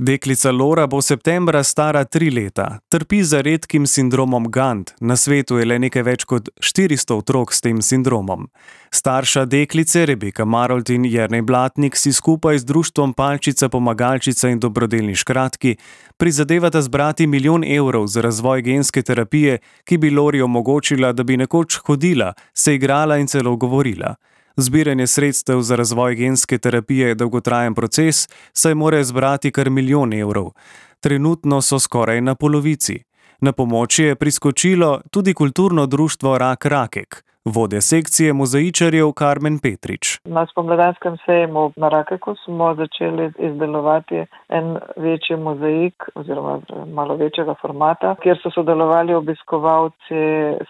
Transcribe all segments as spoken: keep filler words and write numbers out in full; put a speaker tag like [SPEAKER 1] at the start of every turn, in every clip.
[SPEAKER 1] Deklica Lora bo septembra stara tri leta. Trpi za redkim sindromom Gant. Na svetu je le nekaj več kot štiristo otrok s tem sindromom. Starša deklice Rebeka Marolt in Jernej Blatnik si skupaj z društvom Palčica Pomagalčica in Dobrodelni škratki prizadevata zbrati milijon evrov za razvoj genske terapije, ki bi Lori omogočila, da bi nekoč hodila, se igrala in celo govorila. Zbiranje sredstev za razvoj genske terapije je dolgotrajen proces, saj morajo zbrati kar milijon evrov. Trenutno so skoraj na polovici. Na pomoč je priskočilo tudi kulturno društvo Rak Rakek. Vodja sekcije mozaičarjev Karmen Petrič.
[SPEAKER 2] Na spomladanskem sejmu na Rakeku smo začeli izdelovati en večji mozaik oziroma malo večjega formata, kjer so sodelovali obiskovalci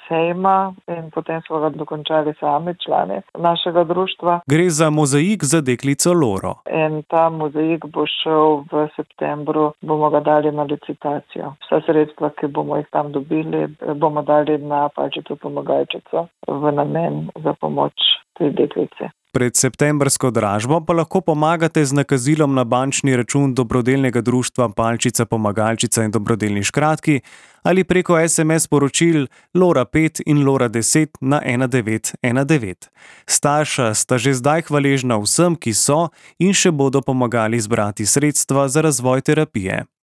[SPEAKER 2] sejma in potem smo ga dokončali sami člani našega društva.
[SPEAKER 1] Gre za mozaik za deklico Loro.
[SPEAKER 2] In ta mozaik bo šel v septembru, bomo ga dali na licitacijo. Vsa sredstva, ki bomo jih tam dobili, bomo dali na Palčico Pomagalčico v namen za pomoč tej deklici.
[SPEAKER 1] Pred septembrsko dražbo pa lahko pomagate z nakazilom na bančni račun dobrodelnega društva Palčica Pomagalčica in Dobrodelni škratki ali preko es em es sporočil Lora pet in Lora deset na ena devet ena devet. Starša sta že zdaj hvaležna vsem, ki so in še bodo pomagali zbrati sredstva za razvoj terapije.